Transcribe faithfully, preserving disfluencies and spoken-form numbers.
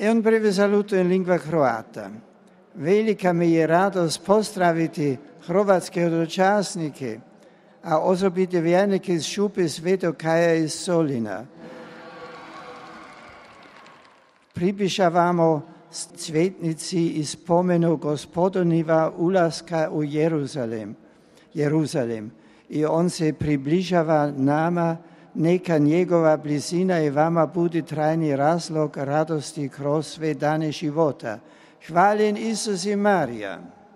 E un breve saluto in lingua croata. Velika mi je radost pozdraviti hrvatske hodočasnike, a osobite vjernike iz Šupe Svetog Kaja iz Solina. Približavamo cvetnici i spomenu Gospodoniva ulaska u Jeruzalem, Jeruzalem. I on se približava nama, neka njegova blizina i vama bude trajni razlog radosti kroz sve dane života. Hvaljen Isus i Marija.